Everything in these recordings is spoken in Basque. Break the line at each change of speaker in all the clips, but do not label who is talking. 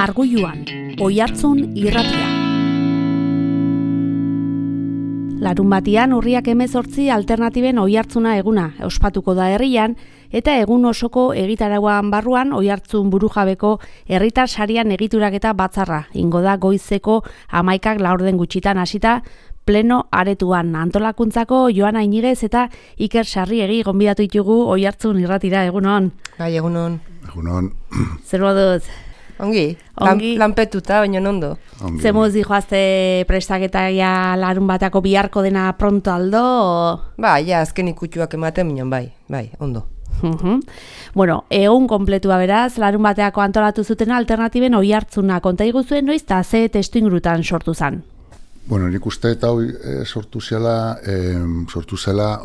Margulluan, Oihartzun irratia. Larunbatian urriak 18 alternatiben Oihartzuna eguna ospatuko da herrian, eta egun osoko egitarauan barruan Oihartzun burujabeko herritar sarian egituraketa batzarra ingo da goizeko 11 laurden gutxitan hasita pleno aretuan. Antolakuntzako Joana Inigez eta Iker Sarriegi gonbidatu ditugu Oihartzun irratira. Egunon.
Bai, egunon.
Egunon.
Zer moduz?
Ongi. Lanpetuta, baina ondo.
Ze moduz dijoazte prestaketa ja larun batako biharko dena pronto aldo?
Ba, ja, azken ikutxuak ematen minon, bai, ondo.
Bueno, egun kompletua beraz, larun bateako antolatu zuten alternatiben Oihartzuna. Konta iguzuen noiz eta ze testu ingurutan sortu zen?
Bueno, nik uste eta sortu zela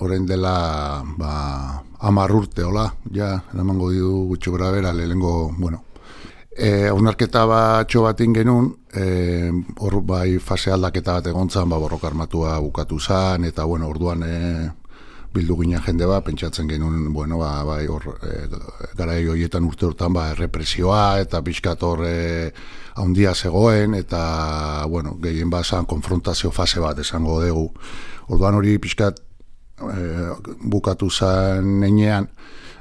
orain dela 10 urte, hola, ja, eramango didu gutxo gara bera, lehengo, bueno, haunarketa batxo bat ingenun, hor bai fase aldaketa bat egontzan, borroka armatua bukatu zen, eta bueno, orduan bildu ginen jende bat, pentsatzen genuen, bueno, bai hor, garai horietan urte hortan, errepresioa, eta pixkat hor haundia zegoen, eta, bueno, gehien bazan konfrontazio fase bat esango dugu. Orduan hori pixkat bukatu zen nenean,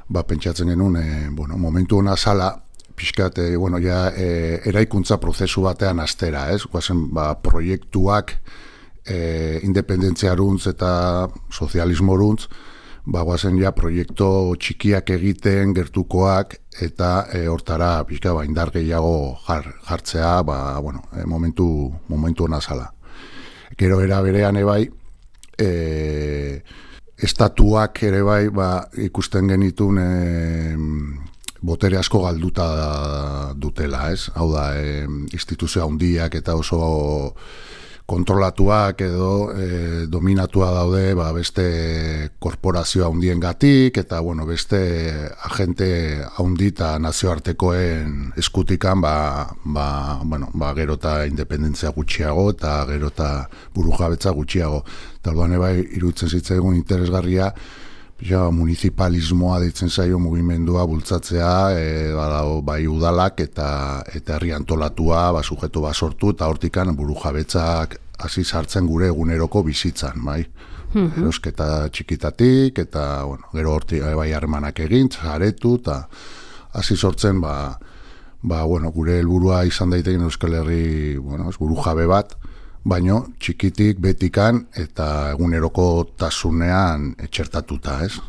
pentsatzen genuen, bueno, momentu hona zala, pixkat, bueno, ja, eraikuntza prozesu batean astera, ez? Guazen, proiektuak independentziaruntz eta sozialismoruntz, guazen ja proiektu txikiak egiten, gertukoak, eta hortara pixka indar gehiago jartzea, bueno, momentu hona zala. Gero era berean ebai, estatuak ere bai, ikusten genitun botere asko galduta dutela, ez? Hau da, instituzio handiak eta oso kontrolatuak edo dominatua daude beste korporazio handiengatik eta bueno, beste agente handi eta nazioartekoen eskutikan gero eta independentzia gutxiago eta gero eta burujabetza gutxiago. Eta orduan bai iruditzen zitzaigun interesgarria municipalismoa deitzen zaio mugimendua bultzatzea, bai udalak eta herri antolatua sujetu sortu eta hortikan burujabetzak hasi sartzen gure eguneroko bizitzan, bai. Erosketa txikitatik eta bueno, gero hortik bai harremanak egin, zaretu eta hasi sortzen bueno, gure helburua izan daiteken Euskal Herri, bueno, burujabe bat, baino txikitik betikan eta eguneroko tasunean etxertatuta, ez?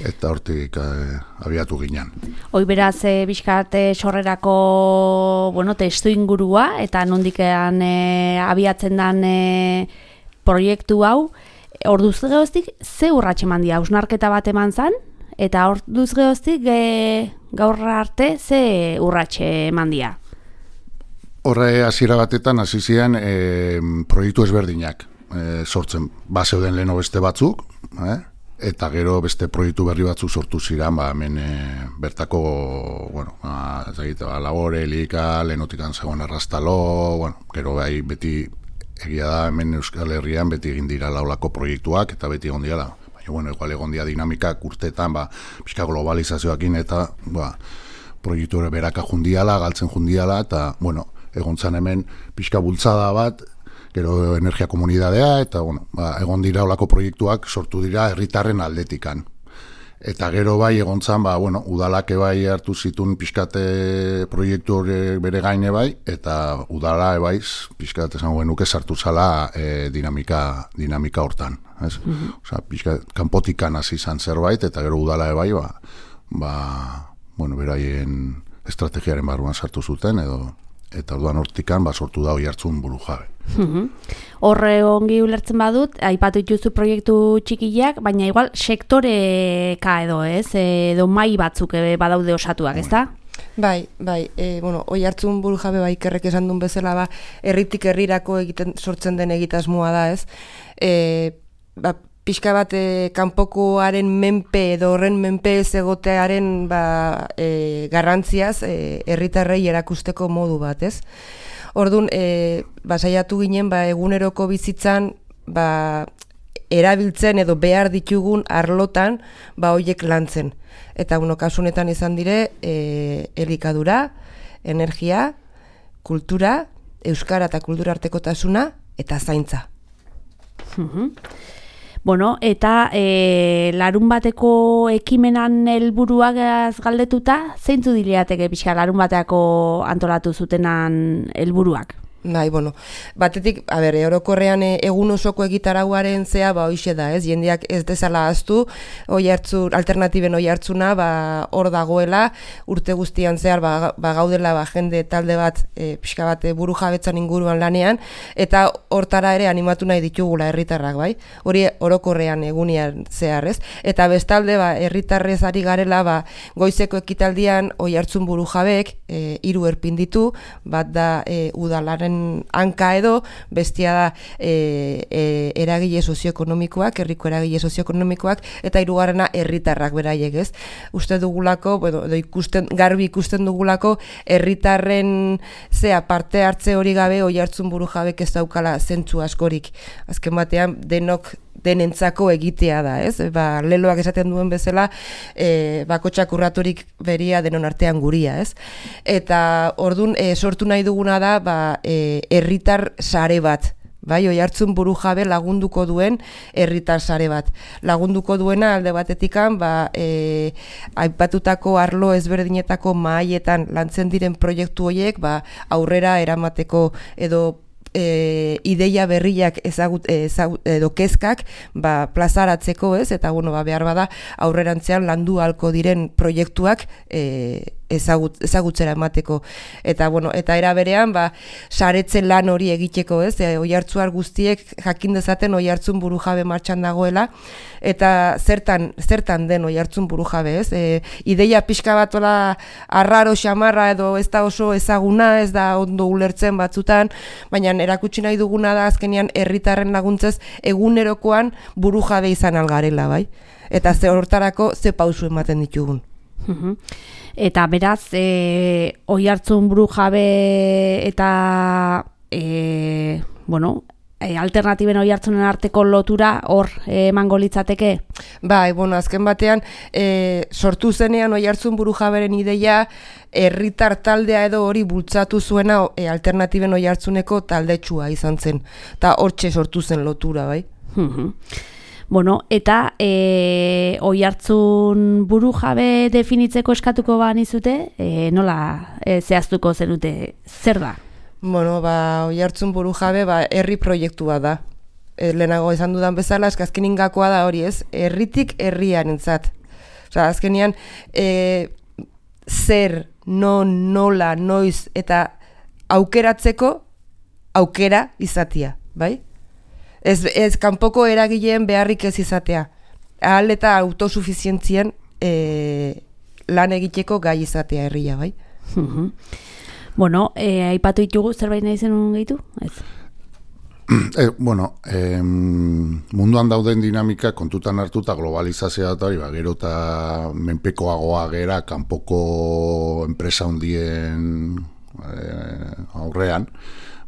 Eta hortik abiatu ginen.
Hoi beraz, bizkat sorrerako, bueno, testu ingurua, eta nondikean abiatzen den proiektu hau, orduz gehoztik, ze urratxe mandia, hausnarketa bat eman zan, eta orduz gehoztik gaur arte, ze urratxe mandia?
Horre hasiera batetan hasi ziren proiektu ezberdinak sortzen. Zeuden leheno beste batzuk, eta gero beste proiektu berri batzuk sortu ziren, hemen bertako, bueno, Lagore, Elika, lehenotikan zegoen Arrastalo, bueno, gero bai beti egia da hemen Euskal Herrian beti egin dira laulako proiektuak eta beti egon dira. Baina, bueno, igual egon dira dinamikak urteetan, pixka globalizazioakin eta, proiektu beraka jundiala, galtzen jundiala, eta, bueno, egontzan hemen pixka bultzada bat, gero energia komunidadea, eta bueno, egon dira olako proiektuak sortu dira herritarren aldetikan. Eta gero bai egontzan, bueno, udalak bai hartu zitun pixkate proiektu bere gaine bai, eta udala bai pixkate esango genuke sartu zala dinamika hortan. Osea, pixkat kanpotikan hasi izan zerbait, eta gero udala bai, bueno, beraien estrategiaren barruan sartu zuten, eta orduan hortikan sortu da Oihartzun burujabe.
Horre ongi ulertzen badut, aipatu dituzu proiektu txikiak, baina igual sektoreka edo, ez? Edo mai batzuk badaude osatuak, ez da?
Bai, bueno, Oihartzun burujabe Ikerrek esan duen bezala, herritik herrirako sortzen den egitasmoa da, ez? Pixka bat kanpokoaren menpe edo horren menpe ez egotearen garrantziaz herritarrei erakusteko modu bat, ez? Orduan, saiatu ginen eguneroko bizitzan erabiltzen edo behar ditugun arlotan horiek lantzen. Eta kasunetan izan dire elikadura, energia, kultura, euskara eta kultura artekotasuna eta zaintza.
Bueno, eta larun bateko ekimenan helburuak galdetuta, zeintzu dileateke pixka larun bateako antolatu zutenan helburuak?
Bai, bueno, batetik, orokorrean egun osoko egitarauaren zea, hoixe da, ez? Jendeak ez dezala ahaztu, alternatiben oihartzuna, hor dagoela, urte guztian zehar, gaudela, jende talde bat, pixka bat buru jabetzan inguruan lanean, eta hortara ere animatu nahi ditugula herritarrak, bai? Hori orokorrean egunian zehar, ez? Eta bestalde, herritarrez ari garela, goizeko ekitaldian oihartzun buru jabek, 3 erpin ditu, bat da udalaren hanka edo, bestia da eragile sozioekonomikoak, herriko eragile sozioekonomikoak, eta 3. herritarrak beraiek, ez? Uste dugulako, garbi ikusten dugulako, herritarren parte hartze hori gabe oihartzun buru jabek ez daukala zentzu askorik. Azken batean denentzako egitea da, ez? Leloak esaten duen bezala, bakotxak urraturik beria denon artean guria, ez? Eta ordun sortu nahi duguna da, herritar sare bat, bai, oihartzun buru jabe lagunduko duen herritar sare bat. Lagunduko duena alde batetikan, aipatutako arlo ezberdinetako mahaietan lantzen diren proiektu horiek, aurrera eramateko edo ideia berriak edo kezkak plazaratzeko, ez? Eta behar bada aurrerantzean landu halko diren proiektuak ezagutzera emateko. Eta era berean saretzen lan hori egiteko, ez? Oihartzuar guztiek jakin dezaten oihartzun buru jabe martxan dagoela, eta zertan den oihartzun buru jabe, ez? Ideia pixka bat arraro xamarra edo ez da oso ezaguna, ez da ondo ulertzen batzutan, baina erakutsi nahi duguna da azkenean herritarren laguntzez egunerokoan buru jabe izan algarela, bai? Eta hortarako ze pausu ematen ditugun.
Eta beraz, oihartzun buru jabe eta alternatiben oihartzunen arteko lotura hor emango litzateke?
Bai, azken batean sortu zenean oihartzun buru jaberen ideia herritar taldea edo hori bultzatu zuena alternatiben oihartzuneko taldetsua izan zen. Eta hortxe sortu zen lotura, bai?
Eta oihartzun buru jabe definitzeko eskatuko banizute, nola zehaztuko zenute, zer da?
Oihartzun buru jabe herri proiektua da. Lehenago esan dudan bezala, azkenin gakoa da hori, ez? Herritik herriarentzat. Azkenean, zer, nola, noiz eta aukeratzeko aukera izatea, bai? Ez kanpoko eragileen beharrik ez izatea. Ahal eta autosufizientzien lan egiteko gai izatea herria, bai?
Aipatu ditugu zerbait nahi zenun gehitu? Ez?
Munduan dauden dinamika kontutan hartuta globalizazioa eta gero eta menpekoagoa gera kanpoko enpresa handien aurrean,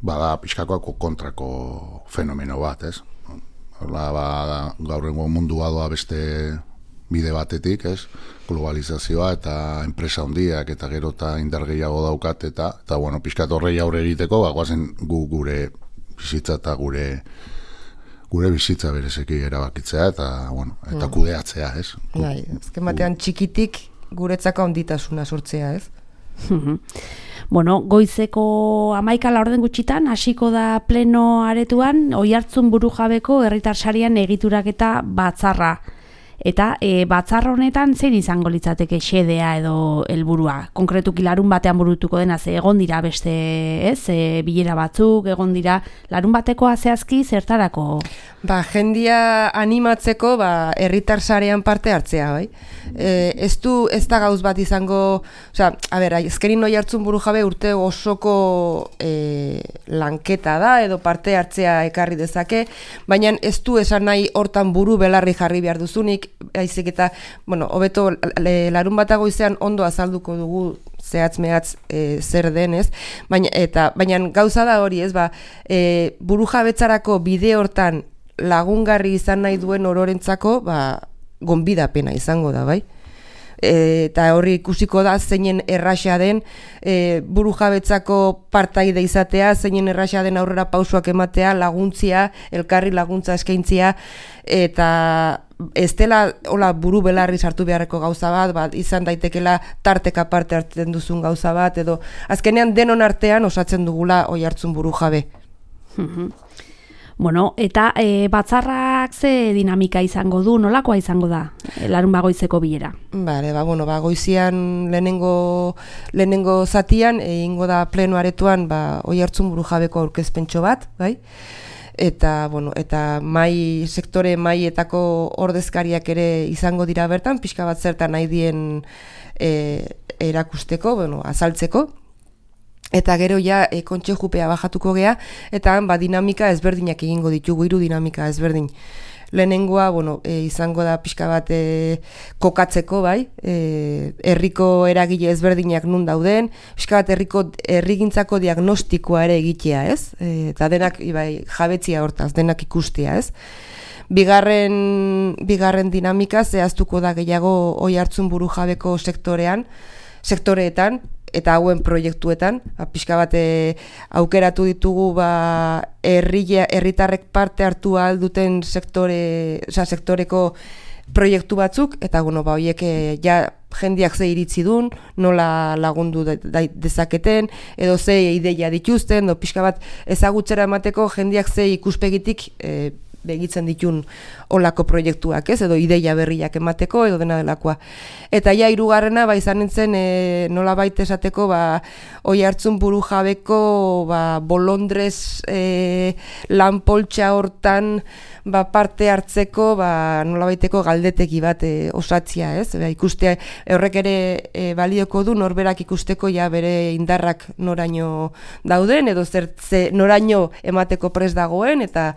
bada pixkakoako kontrako fenomeno bat, ez? Gaur egun mundua doa beste bide batetik, ez? Globalizazioa eta enpresa handiak eta gero eta indar gehiago daukat eta pixkat horrei aurre egiteko, goazen gure bizitza eta gure bizitza berezeki erabakitzea eta kudeatzea, ez?
Azken batean txikitik guretzako handitasuna sortzea, ez?
Goizeko 11 gutxitan hasiko da pleno aretuan oihartzun buru jabeko herritar sarian egituraketa batzarra. Eta batzar honetan zein izango litzateke xedea edo helburua? Konkretuki larun batean burutuko dena, egon dira beste, bilera batzuk, egon dira larun batekoa zehazki zertarako?
Jendia animatzeko herritar sarean parte hartzea, bai? Ez da gauz bat izango, ezkerin oihartzun buru jabe urte osoko lanketa da edo parte hartzea ekarri dezake, baina ez du esan nahi hortan buru belarri jarri behar duzunik, haizik eta, hobeto larun batago izan ondo azalduko dugu zehatz-mehatz zer denez, baina gauza da hori, ez, buru jabetzarako bide hortan lagungarri izan nahi duen ororentzako, gonbidapena izango da, bai? eta horri ikusiko da zeinen erraxa den burujabetzako partaide izatea, zeinen erraxa den aurrera pausoak ematea, laguntzia, elkarri laguntza eskaintzia, eta ez dela hola buru belarri sartu beharreko gauza bat, izan daitekela tarteka parte hartzen duzun gauza bat, edo azkenean denon artean osatzen dugula Oiartzun burujabe.
Bueno, eta batzarrak ze dinamika izango du, nolakoa izango da, larunbat goizeko bilera?
Bale, goizian lehenengo zatian, egingo da pleno aretoan Oiartzun burujabeko aurkezpentxo bat, bai? Eta sektore maietako ordezkariak ere izango dira bertan, pixka bat zertan nahi dien erakusteko, azaltzeko. Eta gero ja kontsejupea bajatuko gea, eta dinamika ezberdinak egingo ditugu, 3 dinamika ezberdin. Lehenengoa, izango da pixka bat kokatzeko, bai, herriko eragile ezberdinak nun dauden, pixka bat herrigintzako diagnostikoa ere egitea, ez? Eta denak, jabetzia hortaz, denak ikustea, ez? Bigarren dinamika zehaztuko da gehiago Oiartzun burujabeko sektoreetan, eta hauen proiektuetan, pixka bat aukeratu ditugu herritarrek parte hartu ahal duten sektoreko proiektu batzuk, eta horiek jendeak ze iritzi dun, nola lagundu dezaketen, edo ze ideia dituzten, edo pixka bat ezagutzera emateko jendeak ze ikuspegitik begitzen ditun olako proiektuak, ez, edo ideia berriak emateko, edo dena delakoa. Eta hirugarrena, izan nintzen, nola baita esateko, Oiartzun burujabeko bolondrez lanpoltsa hortan parte hartzeko, nola baiteko galdeteki bat osatzia, ez? Ikustea, horrek ere balioko du, norberak ikusteko bere indarrak noraino dauden, edo noraino emateko prest dagoen, eta,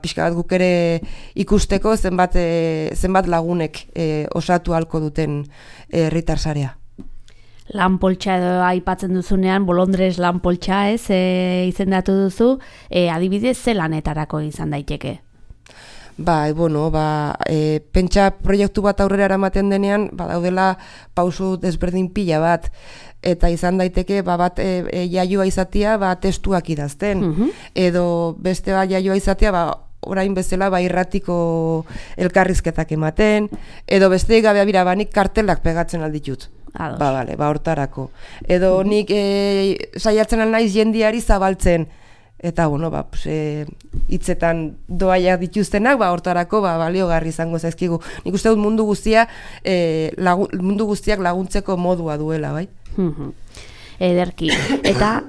pixka bat guk ere ikusteko zenbat lagunek osatu halko duten herritar sarea.
Lanpoltsa edo aipatzen duzunean, bolondrez lanpoltsa, ez, izendatu duzu, adibidez ze lanetarako izan daiteke?
Pentsa proiektu bat aurrera eramaten denean, daudela pausu desberdin pila bat, eta izan daiteke bat jaioa izatea testuak idazten, edo beste jaioa izatea orain bezala irratiko elkarrizketak ematen, edo beste gabe nik kartelak pegatzen alditut. Hortarako. Edo nik saiatzen alnaiz jendiari zabaltzen, eta hitzetan doaiak dituztenak, hortarako baliogarri izango zaizkigu. Nik uste dut mundu guztiak laguntzeko modua duela, bai?
Ederki. Eta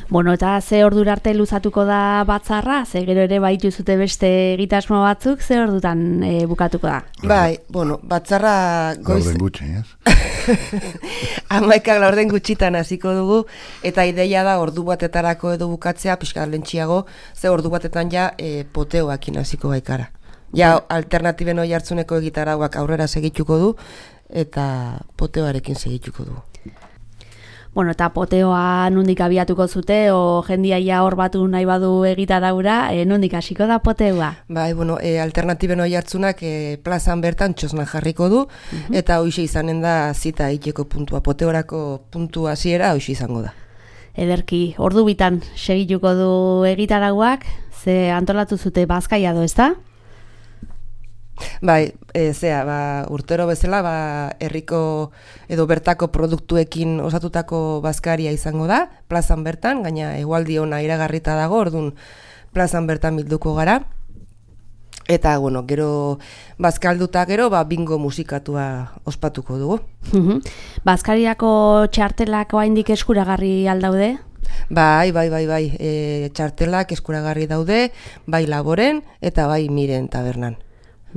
eta ze ordura arte luzatuko da batzarra? Ze gero ere baitu zute beste egitasmo batzuk, ze ordutan bukatuko da?
Batzarra goiz...
Laurden gutxi, ez?
11 gutxitan hasiko dugu, eta ideia da ordu batetarako edo bukatzea, pixka lentxiago, ze ordu batetan poteoakin hasiko baikara. Alternatiben Oiartzuneko egitarauak aurrera segituko du, eta poteoarekin segituko du.
Eta poteoa nondik abiatuko zute, o jendia hor batu nahi badu egitaraura, nondik hasiko da poteoa?
Alternatiben Oiartzunak plazan bertan txosna jarriko du, eta hoxe izanen da zita iteko puntua, poteorako puntua hasiera hoxe izango da.
Ederki, ordu bitan segituko du egitarauak, ze antolatu zute bazkaia do, ezta?
Urtero bezala, herriko edo bertako produktuekin osatutako bazkaria izango da, plazan bertan, gaina egualdi ona iragarrita dago, orduan plazan bertan bilduko gara. Eta, gero bazkalduta gero, bingo musikatua ospatuko dugu.
Bazkariako txartelak oraindik eskuragarri aldaude?
Bai, txartelak eskuragarri daude, bai Laboren eta bai Miren tabernan.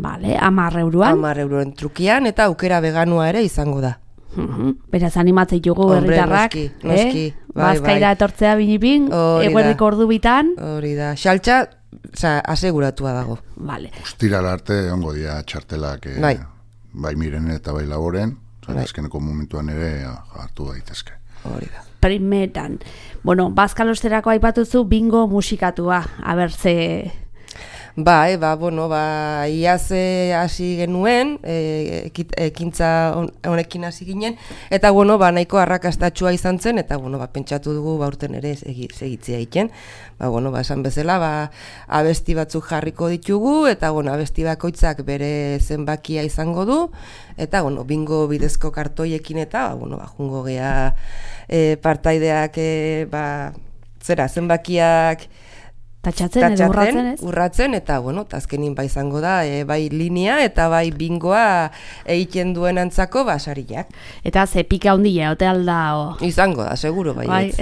10 euroan?
10 euroen trukian, eta aukera veganua ere izango da.
Beraz animatzei jugu herritarrak,
noski,
bazkaira etortzea binipin, eguerdiko ordu bitan.
Hori da, xaltxa, aseguratua dago.
Ostiral arte ongo dira txartelak, bai Miren eta bai Laboren, azkeneko momentuan ere hartu daitezke.
Hori da.
Primetan. Bazkalosterako aipatuzu bingo musikatua,
Bai, iaz hasi genuen, ekintza honekin hasi ginen, eta nahiko arrakastatsua izan zen, eta pentsatu dugu aurten ere segitzea egiten. Esan bezala, abesti batzuk jarriko ditugu, eta abesti bakoitzak bere zenbakia izango du, eta bingo bidezko kartoiekin eta jungo gea partaideak zenbakiak
tatxatzen edo
urratzen, eta azkenin izango da, bai linea eta bai bingoa egiten duen antzako sariak.
Eta ze pika handia, ote alda?
Izango da, seguro bai.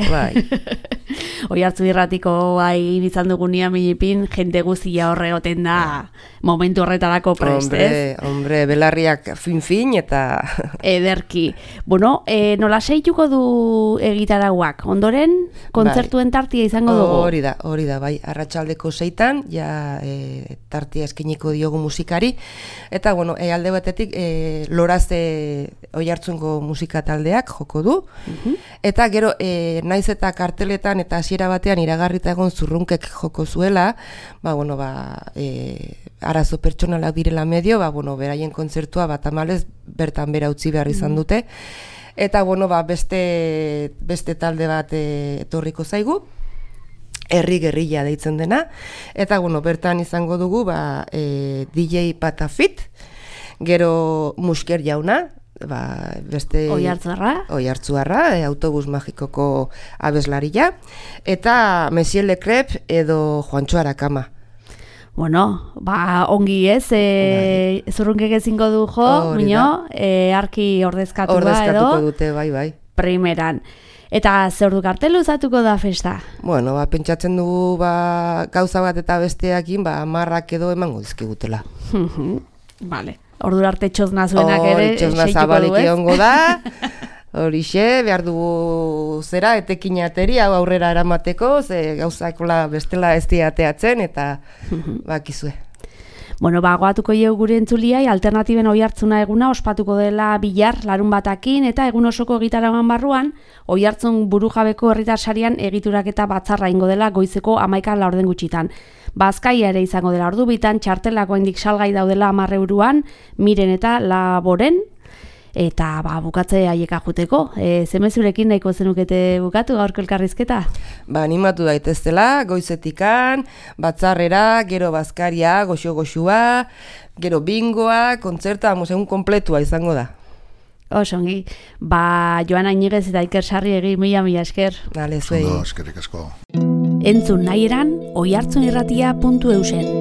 Oihartzun irratiko izan dugunean minipin, jente guztia horre oten da momentu horretarako prest, ez?
Hombre, belarriak fin eta...
Ederki. Nola seituko du egitarauak? Ondoren, kontzertuen tartia izango dugu?
Hori da, bai. Arratsaldeko 6 tartia eskiniko diogu musikari, eta alde batetik Loraze Oihartzungo musika taldeak joko du, eta gero naiz eta karteletan eta hasiera batean iragarrita egon Zurrunkek joko zuela, arazo pertsonalak direla medio, beraien kontzertua tamalez bertan bera utzi behar izan dute, eta beste talde bat etorriko zaigu, Herri Gerrilla deitzen dena, eta bertan izango dugu DJ Patafit, gero Musker Jauna, beste Oihartzuarra, autobus magikoko abeslaria, eta Monsieur Le Crep edo Juantxo Arakama.
Ongi ez, Zurrunkek ezingo du arki ordezkatuko
dute, bai.
Primeran. Eta zer du kartelu uzatuko da festa?
Pentsatzen dugu gauza bat eta besteakin, marrak edo emango dizkigutela.
Vale. Ordura arte txozna zuenak ere
txozna zabalik egongo da. Horixe, behar dugu etekin ateri, hau aurrera eramateko, gauzakola bestela ez diateatzen, eta bakizue.
Goatuko ieu gure entzuliai, alternatiben Oihartzuna eguna ospatuko dela bihar larun batakin, eta egun osoko egitaragoan barruan, Oihartzun burujabeko herritar sarian egiturak eta batzarra ingo dela goizeko 11 gutxitan. Bazkaia ere izango dela ordu bitan, txartelako indik salgai daudela 10 euroan, Miren eta Laboren, eta bukatze haieka juteko. Zemezurekin nahiko zenukete bukatu gaurko elkarrizketa?
Animatu daitezela, goizetikan, batzarrera, gero bazkaria, goxo-goxua, gero bingoa, kontzerta, egun kompletua izango da.
Osongi, Joan Ainigez eta Iker Sarriegi mila esker.
Dale, zuei.
Eskerrik asko.
Entzun nahi eran, oihartzunirratia.eusen.